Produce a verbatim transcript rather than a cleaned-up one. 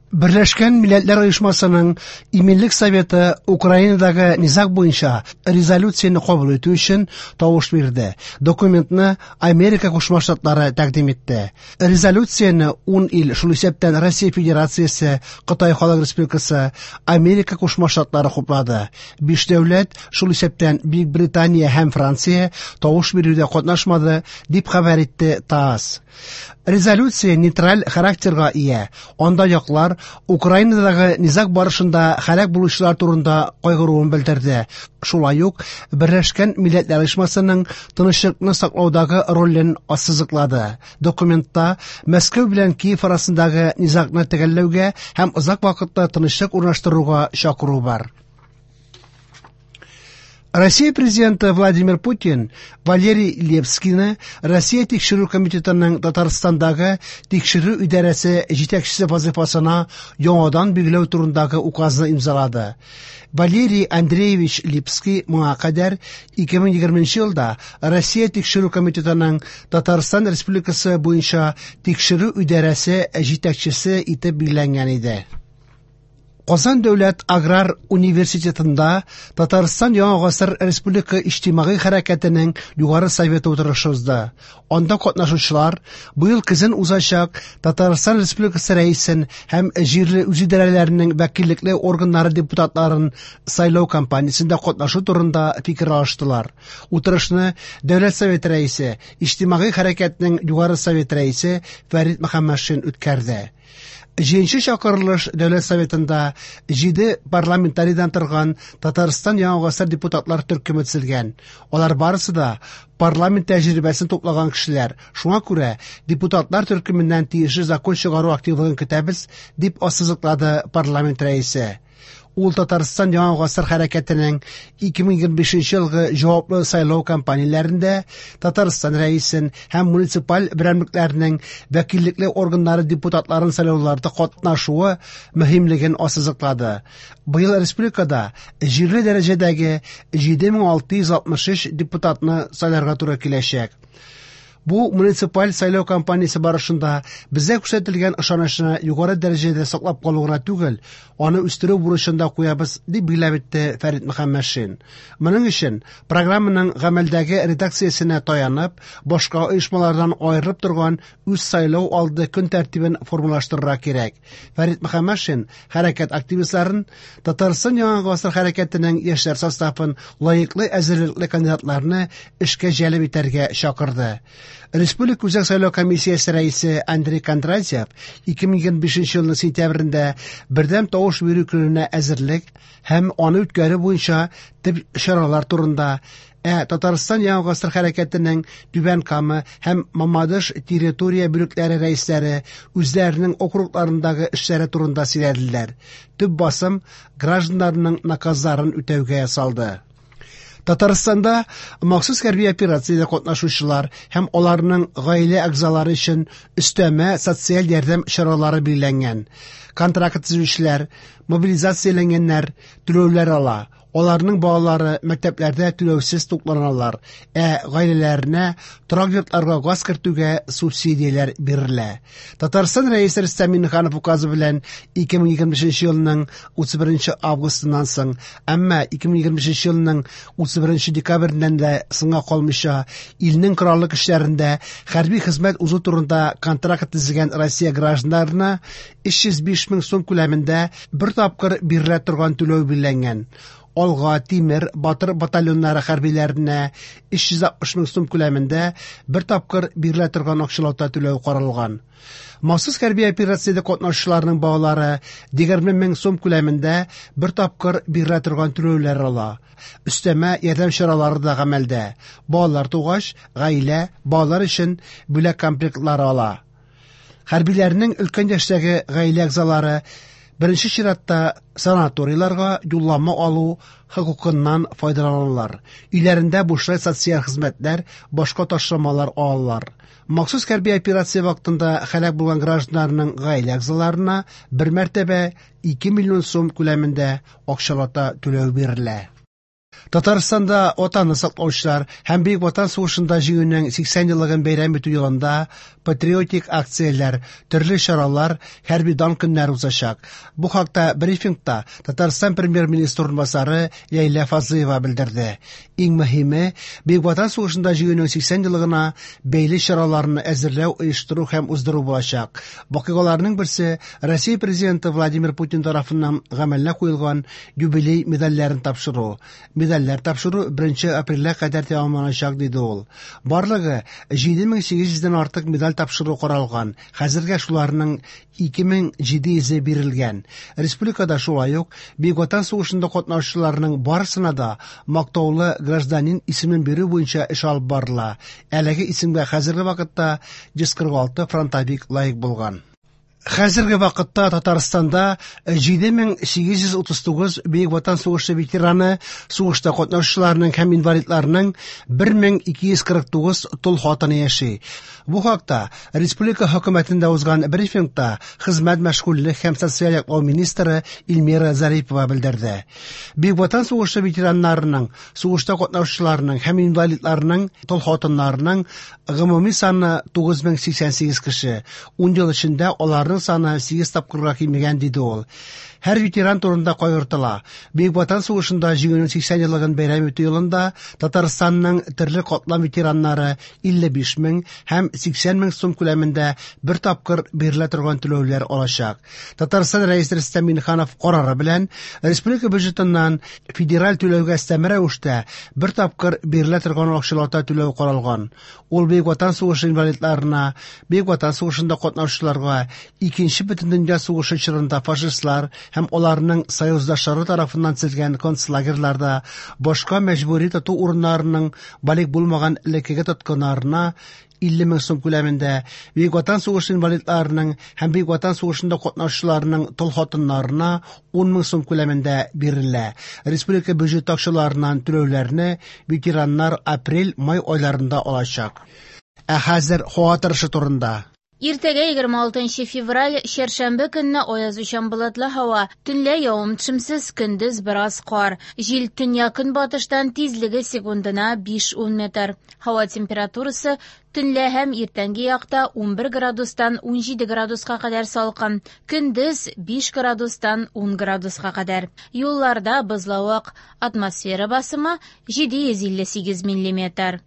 Берләшкән Милләтләр Оешмасының Иминлек Советы Украинадагы низаг буенча резолюцияне кабул итү өчен тавыш бирде. Документны Америка Кушма Штатлары тәкъдим итте. Резолюцияне ун ил, шул исәптән Россия Федерациясе, Кытай Халык Республикасы, Америка Кушма Штатлары хуплады. Биш дәүләт, шул исәптән Бөекбритания һәм Франция тавыш бирүдә катнашмады, дип хәбәр итте ТАСС. Резолюция нейтраль характерга ия. Анда яклар Украинадагы низаг барышында һәлак булучылар турында кайгыруын белдерде. Шулай ук Берләшкән Милләтләр Оешмасының тынычлыкны саклаудагы ролен ассызыклады. Документта Мәскәү белән Киев арасындагы низагны төгәлләүгә һәм озак вакытлы тынычлык урнаштыруга чакыру бар. Россия президенты Владимир Путин Валерий Лепскийны Россия Тикшерү комитетының Татарстандагы тикшерү идарәсе җитәкчесе вазифасына яңадан билгеләү турындагы указны имзалады. Валерий Андреевич Липский моңа кадәр ике мең егерменче елда Россия Тикшерү комитетының Татарстан Республикасы буенча тикшерү идарәсе җитәкчесе итеп билгеләнгән иде. Казан дәүләт аграр университетында Татарстан Яңа гасыр республика иҗтимагый хәрәкәтенең югары советы утырышы узды. Анда катнашучылар быел көзен узачак Татарстан Республикасы рәисен һәм җирле үзидарәләренең вәкиллекле органнары депутатларын сайлау кампаниясендә катнашу турында фикер алыштылар. Утырышны Дәүләт Советы рәисе, иҗтимагый хәрәкәтнең югары совет рәисе Фәрит Мөхәммәтшин үткәрде. Җиденче чакырылыш Дәүләт Советында җиде парламентарийдан торган Татарстан Яңа гасыр депутатлар төркеме төзелгән. Алар барысы да парламент тәҗрибәсен туплаган кешеләр. Шуңа күрә депутатлар төркеменнән тиешле закон чыгару активлыгын көтәбез, дип ассызыклады парламент рәисе. Ул Татарстан Яңа гасыр хәрәкәтенең ике мең егерме бишенче елгы җаваплы сайлау кампанияләрендә Татарстан рәисен һәм муниципаль берәмлекләрнең вәкиллекле органнары депутатларын сайлауларда катнашуы мөһимлеген ассызыклады. Быел республикада җирле дәрәҗәдәге җиде мең алты йөз алтмыш өч депутатны сайларга туры киләчәк. Бу муниципаль сайлау кампаниясе барышында безгә күрсәтелгән ышанычны югары дәрәҗәдә саклап калу гына түгел, аны үстерү бурычын да куябыз, дип билгеләп үтте Фәрит Мөхәммәтшин. Моның өчен программаның гамәлдәге редакциясенә таянып, башка оешмалардан аерылып торган үз сайлау алды көн тәртибен формалаштырырга кирәк. Фәрит Мөхәммәтшин хәрәкәт активистларын Татарстан Яңа гасыр хәрәкәтенең яшьләр составын лаеклы әзерлекле кандидатларны эшкә җәлеп итәргә чакырды. Республика Үзәк сайлау комиссиясе рәисе Андрей Кондратьев ике мең егерме бишенче елның сентябрендә бердәм тавыш бирү көненә әзерлек һәм аны үткәрү буенча төп чаралар турында, ә Татарстан Яңа гасыр хәрәкәтенең Түбән Кама һәм Мамадыш территория бүлекләре рәисләре үзләренең округларындагы эшләре турында сөйләделәр. Төп басым гражданнарның наказларын үтәүгә ясалды. Татарстанда махсус хәрби операциядә катнашучылар һәм аларның гаилә әгъзалары өчен өстәмә социаль ярдәм чаралары билгеләнгән. Контракт төзүчеләр, мобилизацияләнгәннәр түләүләр ала. Аларның балалары мәктәпләрдә түләүсез тукланалар, ә гаиләләренә торак йортларга газ кертүгә субсидияләр бирелә. Татарстан Рәисе Рөстәм Миңнеханов указы белән ике мең егерме бишенче елның утыз беренче августыннан соң, әмма ике мең егерме бишенче елның утыз беренче декабреннән дә соңга калмыйча илнең кораллы көчләрендә хәрби хезмәт узу турында контракт төзегән Россия гражданнарына өч йөз биш мең сум күләмендә бер тапкыр бирелә торган түләү билгеләнгән. Алга, Тимер, Батыр батальоннары хәрбиләренә өч йөз алтмыш мең сум күләмендә бер тапкыр бирелә торган акчалата түләү каралган. Махсус хәрби операциядә катнашучыларның балалары егерме мең сум күләмендә бер тапкыр бирелә торган түләүләр ала. Өстәмә ярдәм чаралары да гамәлдә. Балалар тугач, гаилә балалар өчен бүләк комплектлары ала. Хәрбиләрнең өлкән яшьтәге гаилә әгъзалары беренче чиратта санаторийларга юллама алу хокукыннан файдаланалар. Өйләрендә бушлай социаль хезмәтләр, башка ташламалар алалар. Махсус хәрби операция вакытында һәлак булган гражданнарның гаилә әгъзаларына бер мәртәбә ике миллион сум күләмендә акчалата түләү бирелә. Татарстанда Ватанны саклаучылар һәм Бөек Ватан сугышында җиңүнең сиксән еллыгын бәйрәм итү елында патриотик акцияләр, төрле чаралар, хәрби дан көннәре узачак. Бу хакта брифингта Татарстан премьер-министры урынбасары Ләйлә Фазлыева белдерде. Иң мөһиме, Бөек Ватан сугышында җиңүнең сиксән еллыгына бәйле чараларны әзерләү, оештыру һәм уздыру булачак. Вакыйгаларның берсе Россия президенты Владимир Путин тарафыннан гамәлгә куелган юбилей медальләрен тапшыру. Медальләр тапшыру беренче апрельгә кадәр тәмамланачак, диде ул. Барлыгы җиде мең сигез йөздән артык медаль тапшыру каралган. Хәзергә шуларның ике мең җиде йөзе бирелгән. Республикада шулай ук Бөек Ватан сугышында катнашучыларның барысына да мактаулы гражданин исемен бирү буенча эш алып барыла. Әлеге исемгә хәзерге вакытта йөз кырык алты фронтовик лаек булган. Хәзерге вакытта Татарстанда җиде мең сигез йөз утыз тугыз Бөек Ватан сугышы ветераны, сугышта катнашучыларның һәм инвалидларның бер мең ике йөз кырык тугыз тол хатыны яши. Бу хакта республика хөкүмәтендә узган брифингта хезмәт, мәшгульлек һәм социаль яклау министры Эльмира Зарипова белдерде. Бөек Ватан сугышы ветераннарының, сугышта катнашучыларның һәм инвалидларның тол хатыннарының гомуми саны тугыз мең сиксән сигез кеше. Ун ел эчендә аларның саны сигез тапкырга кимегән, диде ул. Һәр ветеран турында кайгыртыла. Бөек Ватан сугышында җиңүнең сиксән еллыгын бәйрәм итү елында Татарстанның төрле катлам ветераннары илле биш мең һәм сиксән мең сум күләмендә бер тапкыр бирелә торган түләүләр алачак. Татарстан Рәисе Рөстәм Миңнеханов карары белән республика бюджетыннан федераль түләүгә өстәмә рәвештә бер тапкыр бирелә торган акчалата түләү каралган. Ул Бөек Ватан сугышы инвалидларына, Бөек Ватан сугышында катнашучыларга, Икенче Бөтендөнья сугышы чорында фашистлар һәм аларның союздашлары тарафыннан төзелгән концлагерьларда башка мәҗбүри тоту урыннарының балигъ булмаган элеккеге тоткыннарына илле мең сум күләмендә, Бөек Ватан сугышы инвалидларының һәм Бөек Ватан сугышында катнашучыларның тол хатыннарына ун мең сум күләмендә бирелә. Республика бюджет акчаларыннан түләүләрне ветераннар апрель-май айларында алачак. Ә хәзер һава торышы турында. Иртәгә егерме алтынчы февраль, чәршәмбе көнне аязучан болытлы һава, төнлә явым-төшемсез, көндез бераз кар. Җил төньяк-көнбатыштан, тизлеге секундына биш-ун метр. Һава температурасы төнлә һәм иртәнге якта унбер градустан унҗиде градуска кадәр салкын, көндез биш градустан ун градуска кадәр. Юлларда бозлавык, атмосфера басымы җиде йөз илле сигез миллиметр.